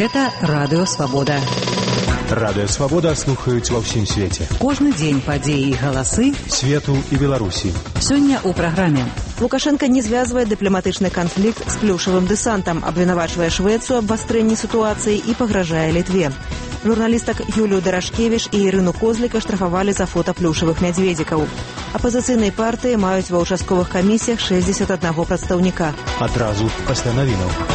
Гэта Радыё Свабода. Радыё Свабода слухаюць ва ўсім свеце. Кожны дзень падзеі і галасы свету і Беларусі. Сёння ў праграме. Лукашенко не звязвае дыпламатычны канфлікт з плюшавым дэсантам, абвінавачвае Швецыю аб абвастрэнні сітуацыі і пагражае Літве. Журналістак Юлію Дарашкевіч і Ірыну Козліка штрафавалі за фота плюшавых мядзведзікаў. Апазіцыйнай партыі маюць ва ўчастковых камісіях 61 прадстаўніка. Адразу пасля навінаў.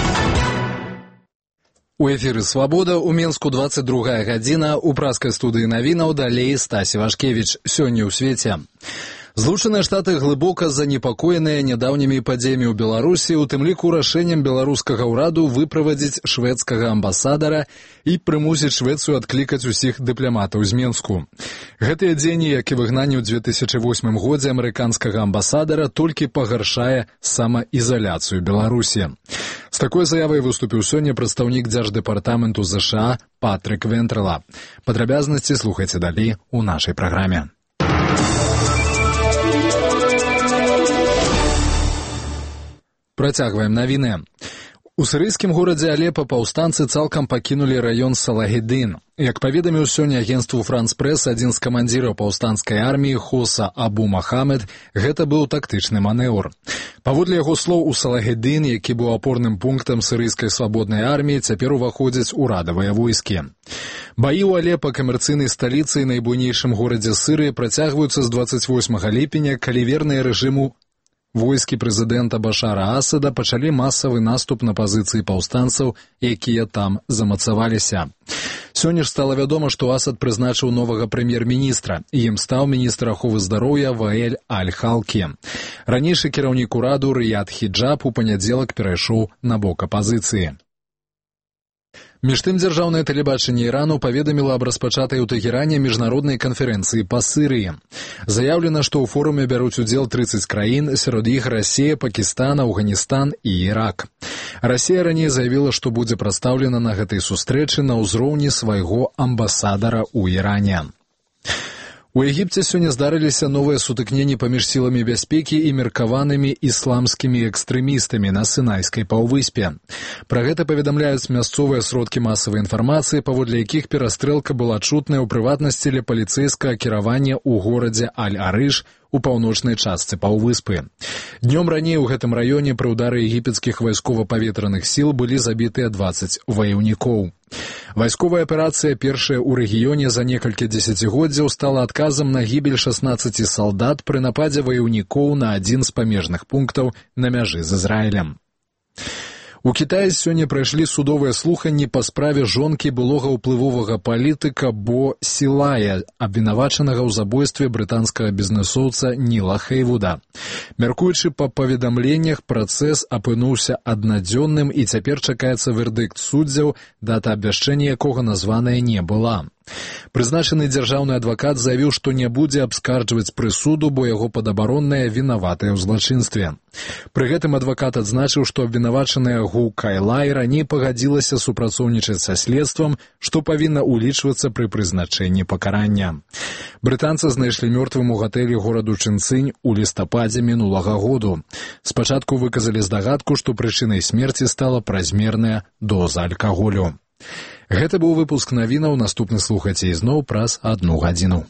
У эфіры «Свабода» у Менску 22 гадзіна. У праскай студыі навінаў далей Стасі Вашкевіч. Сёння ў свеце. Злучаныя Штаты глыбока занепакоеныя нядаўнімі падзеямі ў Беларусі, у тым ліку рашэннем беларускага ўраду выправадзіць шведскага амбасадара і прымусіць Швецыю адклікаць усіх дыпламатаў з Менску. Гэтыя дзені, як і выгнанне ў 2008 годзе амерыканскага амбасадара, толькі пагаршае самаізаляцыю Беларусі. З такой заявай выступіў сёння прадстаўнік Дзярждэпартаменту ЗША Патрык Вентрала. Падрабязнасці слухайце далей у нашай праграме. Працягваем навіны. У сірыйскім горадзе Алепа паўстанцы цалкам пакінулі раён Салагедын. Як паведаміў сёння агенцтву «Франс Прэс» адзін з камандзіраў паўстанцкай арміі Хоса Абу Махамед, гэта быў тактычны манеўр. Паводле яго слоў, у Салагедын, які быў апорным пунктам сірыйскай свабоднай арміі, цяпер уваходзяць урадавыя войскі. Баі ў Алепа, камерцыйнай сталіцы і найбуйнейшым горадзе Сірыі, працягваюцца з 28 ліпеня, калі верныя рэжыму войскі прэзідэнта Башара Асада пачалі масавы наступ на пазіцыі паўстанцаў, якія там замацаваліся. Сёння ж стала вядома, што Асад прызначыў новага прэм'ер-міністра, і ім стаў міністр аховы здароўя Ваэль Аль-Халкі. Ранейшы кіраўнік ураду Рыяд Хіджаб у панядзелак перайшоў на бок апазіцыі. Між тым, дзяржаўнае тэлебачанне Ірану паведаміла аб распачатай у Тэгеране міжнароднай канферэнцыі па Сірыі. Заяўлена, што ў форуме бяруць удзел 30 краін, сярод іх Расія, Пакістан, Афганістан і Ірак. Расія раней заявіла, што будзе прадстаўлена на гэтай сустрэчы на ўзроўні свайго амбасадара ў Іране. У Егіпце сёння здарыліся новыя сутыкненні паміж сіламі бяспекі і меркаванымі ісламскімі экстрэмістамі на Сінайскай паўвыспе. Пра гэта паведамляюць мясцовыя сродкі масавай інфармацыі, паводле якіх перастрэлка была чутная ў прыватнасці ля паліцэйскага кіравання ў горадзе Аль-Арыш у паўночнай частцы паўвыспы. Днём раней у гэтым раёне пры ўдары егіпецкіх вайскова-паветраных сіл былі забітыя 20 ваяўнікоў. Вайсковая аперацыя, першая ў рэгіёне за некалькі дзесяцігоддзяў, стала адказам на гібель 16 салдат пры нападзе ваяўнікоў на адзін з памежных пунктаў на мяжы з Ізраілем. У Кітаі сёння прайшлі судовыя слуханні па справе жонкі былога ўплывовага палітыка Бо Сілая, абвінавачанага ў забойстве брытанскага бізнэсоўца Ніла Хейвуда. Мяркуючы па паведамленнях, працэс апынуўся аднадзённым і цяпер чакаецца вердыкт суддзяў, дата абвяшчэння якога названая не была. Прызначаны дзяржаўны адвакат заявіў, што не будзе абскарджваць прысуду, бо яго падабаронная вінаватая ў злачынстве. Пры гэтым адвакат адзначыў, што абвінавачаная Гу Кайлай раней пагадзілася супрацоўнічаць са следствам, што павінна ўлічвацца пры прызначэнні пакарання. Брытанца знайшлі мёртвым у гатэлі гораду Чынцынь у лістападзе мінулага году. Спачатку выказалі здагадку, што прычынай смерці стала празмерная доза алкаголю. Гэта быў выпуск навінаў, наступны слухайце ізноў праз 1 гадзіну.